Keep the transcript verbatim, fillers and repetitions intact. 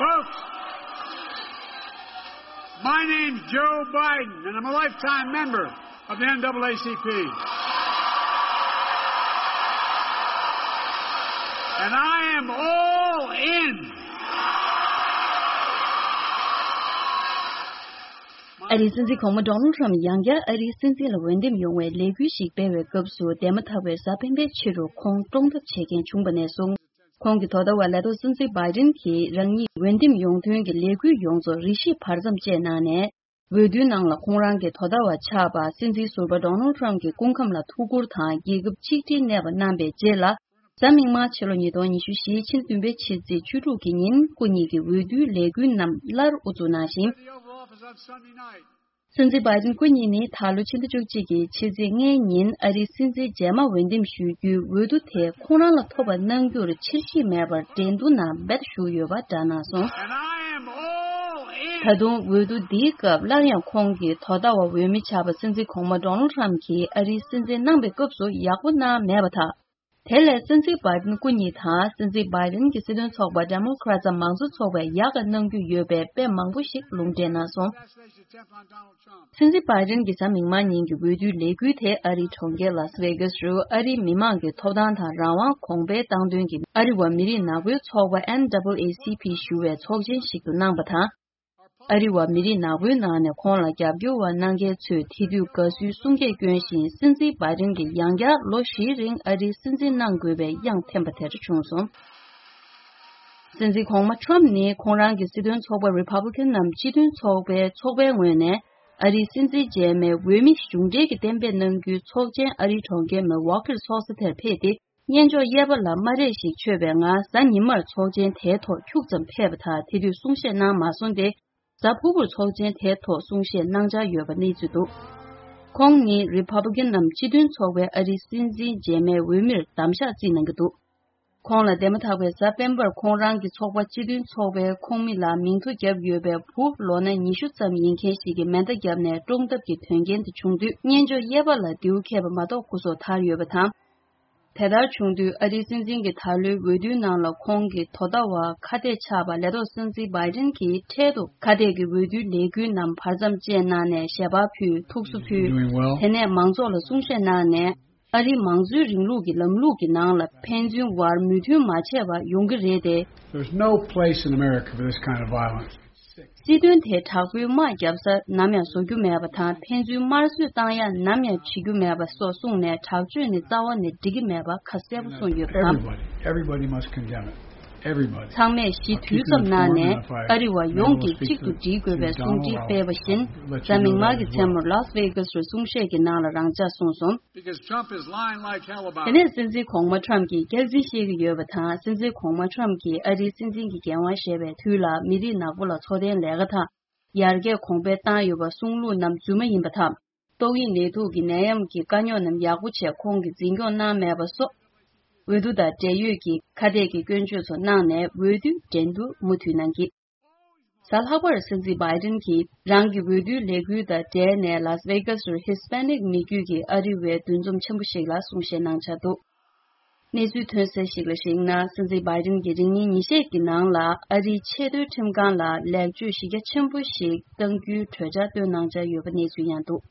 Folks, my name's Joe Biden, and I'm a lifetime member of the N double A C P. And I am all in. ཨ་རིའི་སྲིད་འཛིན་གོང་མ་ཌོ་ནལ་ཊམ་ཡང་བསྐྱར་ཨ་རིའི་སྲིད་འཛིན་ལ་འོས་འདེམས་ཡོང་བའི་ལས་འགུལ་ཞིག་སྤེལ་བའི་སྐབས་སུ། འདས་མ་ཐག་པའི་གཟའ་སྤེན་པའི་ཕྱི་རུ་ཁོང་བཀྲོངས་ཐབས་བྱེད་མཁན་བྱུང་བ་ནས་བཟུང་། ཁོང་གིས་དོ་ཟླ་བར་ལས་ཐོག་སྲིད་འཛིན་བྷའི་ཌེན་གྱིས་རང་ཉིད་འོས་འདེམས་ཡོང་དོན་གྱི་ལས་འགུལ་ཡོངས་རྫོགས་རེ་ཞིག་བར་མཚམས་བཅད་གནང་ནས། འོས་བསྡུའི་ནང་ལ་ཁོང་རང་གིས་དོ་ཟླ་བར་ཆགས་པ་སྲིད་འཛིན་ཟུར་པ་ཌོ་ནལ་ཊམ་གྱི་སྐུ་ཁམས་ལ་ཐུགས་ཁུར་དང་། རྒྱལ་ཁབ་གཅིག་སྒྲིལ་གནས་པ་གནང་པའི་རྗེས་ལ། གཟའ་མིག་དམར་ཕྱི་ལོ་ཉིས་སྟོང་ཉི་ཤུ་རྩ་བཞིའི་ཕྱི་ཟླ་བདུན་པའི་ཕྱི་ཚེས་བཅུ་དྲུག་གི་ཉིན། སྐུ་ཉིད་ཀྱི་འོས་བསྡུའི་ལས་འགུལ་རྣམས་སླར་དབུ་འཛུགས་གནང་ཞིང་། སྲིད་འཛིན་བྷའི་ཌེན་སྐུ་ཉིད་ནི་ད་ལོ་ཕྱི་ཟླ་བཅུ་གཅིག་གི་ཕྱི་ཚེས་ལྔའི་ཉིན་ཨ་རིའི་སྲིད་འཛིན་རྗེས་མ་འོས་འདེམས་ཞུ་རྒྱུའི་འོས་བསྡུ་དེ་ཁོང་རང་ལ་ཐོབ་པ་གནང་རྒྱུར་འཆར་གཞི་མེད་པར་འགྲན་བསྡུར་ནང་རྦད་ཞུགས་ཡོད་པ་བསྒྲགས་གནང་སོང་། And I am all in. ད་དུང་འོས་བསྡུ་འདིའི་སྐབས་སླར་ཡང་ཁོང་གིས་དོ་ཟླ་བ་འོས་མི་ཆགས་པ་སྲིད་འཛིན་གོང་མ་ཌོ་ནལ་ཊམ་གྱིས་ཨ་རིའི་སྲིད་འཛིན་གནང་པའི་སྐབས་སུ་ཡག་པོ་གནང་མེད་པ་དང་། དེ་ལས་སྲིད་འཛིན་བྷའི་ཌེན་སྐུ་ཉིད་དང་སྲིད་འཛིན་བྷའི་ཌེན་གྱི་སྲིད་དོན་ཚོགས་པ་ཌེ་མོ་ཀ་རེ་ཊ་མང་གཙོ་ཚོགས་པས་ཡག་ག་གནང་རྒྱུ་ཡོད་པའི་དཔེ་མང་པོ་ཞིག་ལུང་འདྲེན་གནང་སོང་། སྲིད་འཛིན་བྷའི་ཌེན་གྱི་གཟའ་མིག་དམར་ཉིན་གྱི་འོས་བསྡུའི་ལས་འགུལ་དེ་ཨ་རིའི་གྲོང་ཁྱེར་ལཱ་སི་ཝེ་གྷ་སི་རུ་ཨ་རིའི་མི་མང་གི་ཐོབ་ཐང་དང་རང་དབང་གོང་འཕེལ་བཏང་དོན་གྱི་ཨ་རི་བ་མི་རིགས་ནག་པོའི་ཚོགས་པ་ཨེན་ཌབ་ལ་ཨེ་སི་པི་ཞུ་བའི་ཚོགས་ཆེན་ཞིག་ཏུ་གནང་པ་དང་། ཨ་རི་བ་མི་རིགས་ནག་པོའི་ནང་ནས་ཁོང་ལ་རྒྱབ་སྐྱོར་བ་གནང་མཁན་ཚོས་དེ་དུས་དགའ་བསུའི་གསུང་སྐད་བསྐྱོན་བཞིན། སྲིད་འཛིན་བྷའི་ཌེན་གྱིས་ཡང་བསྐྱར་ལོ་བཞིའི་རིང་ཨ་རིའི་སྲིད་འཛིན་གནང་དགོས་པའི་གཡང་འཐེན་པ་དེ་འདྲ་བྱུང་སོང་། སྲིད་འཛིན་གོང་མ་ཊམ་ནི་ཁོང་རང་གི་སྲིད་དོན་ཚོགས་པ་རི་པབ་ལི་ཀན་ནམ་སྤྱི་མཐུན་ཚོགས་པའི་ཚོགས་པའི་ངོས་ནས་ཨ་རིའི་སྲིད་འཛིན་རྗེས་མའི་འོས་མི་གཞུང་འབྲེལ་གྱི་གཏན་འབེབས་གནང་རྒྱུའི་ཚོགས་ཆེན་ཨ་རིའི་གྲོང་ཁྱེར་མི་ཝོ་ཀེར་ཚོགས་ས་དེར་ཕེབས་ཏེ། སྙན་ཅོག་གཡས་པ་ལ་སྨ་རས་ཤིག་མཆོད་པའི་ངང་གཟའ་ཉི་མར་ཚོགས་ཆེན་དེའི་ཐོག་ཁྱུག་ཙམ་ཕེབས་པ་དང་། དེ་དུས་གསུང་བཤད་གནང་མ་སོང་སྟེ། གཟའ་ཕུར་བུར་ཚོགས་ཆེན་དེའི་ཐོག་གསུང་བཤད་གནང་འཆར་ཡོད་པ་གནས་ཚུལ་འདུག་ཁོང་ནི་རི་པབ་ལི་ཀན་ནམ་སྤྱི་མཐུན་ཚོགས་པའི་ཨ་རིའི་སྲིད་འཛིན་རྗེས་མའི་འོས་མིར་གདམ་གཤགས་རྩིས་གནང་གི་འདུག་ཁོང་ལ་འདས་མ་ཐག་པའི་གཟའ་སྤེན་པར་ཁོང་རང་གི་ཚོགས་པ་སྤྱི་མཐུན་ཚོགས་པའི་ཁོངས་མི་ལ་མིང་ཐོ་བརྒྱབ་ཡོད་པའི་བུ་ལོ་ན་ཉི་ཤུ་ཙམ་ཡིན་མཁན་ཞིག་གིས་མེ་མདའ་བརྒྱབ་ནས་བཀྲོངས་ཐབས་ཀྱི་དོན་རྐྱེན་དེ་བྱུང་དུས། སྙན་ཅོག་གཡས་པ་ལ་མདེའུ་ཁེལ་བ་མ་གཏོགས་སྐུ་སྲོག་ཐར་ཡོད་པ་དང་། དེ་ལྟར་བྱུང་དུས་ཨ་རིའི་སྲིད་འཛིན་གྱི་ད་ལོའི་འོས་བསྡུའི་ནང་ལ་ཁོང་གི་དོ་ཟླ་བ་ཁ་གཏད་ཆགས་པ་ལས་ཐོག་སྲིད་འཛིན་བྷའི་ཌེན་གྱིས་འཕྲལ་དུ་ཁ་གཏད་ཀྱི་འོས་བསྡུའི་ལས་འགུལ་རྣམས་བར་མཚམས་བཅད་གནང་ནས་ཞལ་པར་ཕུལ། ཐུགས་གསོ་ཕུལ། Doing well. དེ་ནས་མང་ཚོགས་ལ་གསུང་བཤད་གནང་ནས། ཨ་རིའི་མང་གཙོའི་རིང་ལུགས་ཀྱི་ལམ་ལུགས་ཀྱི་ནང་ལ་ཕན་ཚུན་བར་མོས་མཐུན་མ་བྱས་པ་ཡོང་གི་རེད་དེ། There's no place in America for this kind of violence. སྲིད་དོན་དེ་དྲག་པོའི་དམག་བརྒྱབ་ས་ནམ་ཡང་བཟོ་རྒྱུ་མེད་པ་དང་། ཕན་ཚུན་དམར་གསོད་བཏང་ཡ་ནམ་ཡང་བྱེད་རྒྱུ་མེད་པ་སོགས་གསུངས་ནས། དྲག་སྤྱོད་ནི་རྩ་བ་ནས་འགྲིག་གི་མེད་པ་ཁ་གསལ་པོ་གསུངས་ཡོད་པ་དང་། Everybody, everybody must condemn it. Everybody. ཚང་མས་ཞི་དུས་ཙམ་གནང་ནས་ཨ་རི་བ་ཡོངས་ཀྱིས་གཅིག་ཏུ་སྒྲིལ་དགོས་པའི་གསུང་འཕྲིན་སྤེལ་བ་བཞིན། གཟའ་མིག་དམར་གྱི་མཚན་མོར་ལཱ་སི་ཝེ་གྷ་སི་རུ་གསུང་བཤད་ཀྱི་ནང་ལ་རང་འཇགས་གསུངས་སོང་། Because Trump is lying like hell about དེ་ནས་སྲིད་འཛིན་གོང་མ་ཊམ་གྱིས་སྐྱག་རྫུན་བཤད་ཀྱི་ཡོད་པ་དང་། སྲིད་འཛིན་གོང་མ་ཊམ་གྱིས་ཨ་རིའི་སྲིད་འཛིན་གྱི་འགན་དབང་བཞེས་པའི་དུས་ལ་མི་རིགས་ནག་པོ་ལ་འཚོ་རྟེན་ལས་ཀ་དང་ཡར་རྒྱས་གོང་འཕེལ་བཏང་ཡོད་པ་གསུང་ལུགས་རྣམས་རྫུན་མ་ཡིན་པ་དང་། ཏོག་དབྱིབས་ནད་དུག་གི་ནད་ཡམས་ཀྱི་དཀའ་རྙོག་རྣམས་ཡག་པོ་བྱས་ཁོང་གིས་འཛིན་སྐྱོང་གནང་མེད་པ་སོགས། འོས་བསྡུ་དང་འབྲེལ་ཡོད་ཀྱི་ཁ་གཏད་ཀྱི་སྐྱོན་བརྗོད་ཚོ་གནང་ནས་འོས་བསྡུའི་འགྲན་བསྡུར་མུ་མཐུད་གནང་གི། གཟའ་ལྷག་པར་སྲིད་འཛིན་བྷའི་ཌེན་གྱིས་རང་གི་འོས་བསྡུའི་ལས་འགུལ་དང་འབྲེལ་ནས་ལཱ་སི་ཝེ་གྷ་སི་རུ་ཧི་སི་པེ་ནིག་མི་རྒྱུད་ཀྱི་ཨ་རི་བའི་འདུ་འཛོམས་ཆེན་པོ་ཞིག་ལ་གསུང་བཤད་གནང་འཆར་འདུག་གནས་ཚུལ་ཐོན་གསལ་ཞིག་ལ་གཞིགས་ན། སྲིད་འཛིན་བྷའི་ཌེན་གྱིས་རིང་ཉིན་ཉིན་ཤས་ཀྱི་ནང་ལ་ཨ་རིའི་ཆེས་མཐོའི་ཁྲིམས་ཁང་ལ་ལེགས་བཅོས་གཞི་རྒྱ་ཆེན་པོ་ཞིག་གཏང་རྒྱུའི་གྲོས་འཆར་བཏོན་གནང་འཆར་ཡོད་པ་གནས་ཚུལ་ཡང་འདུག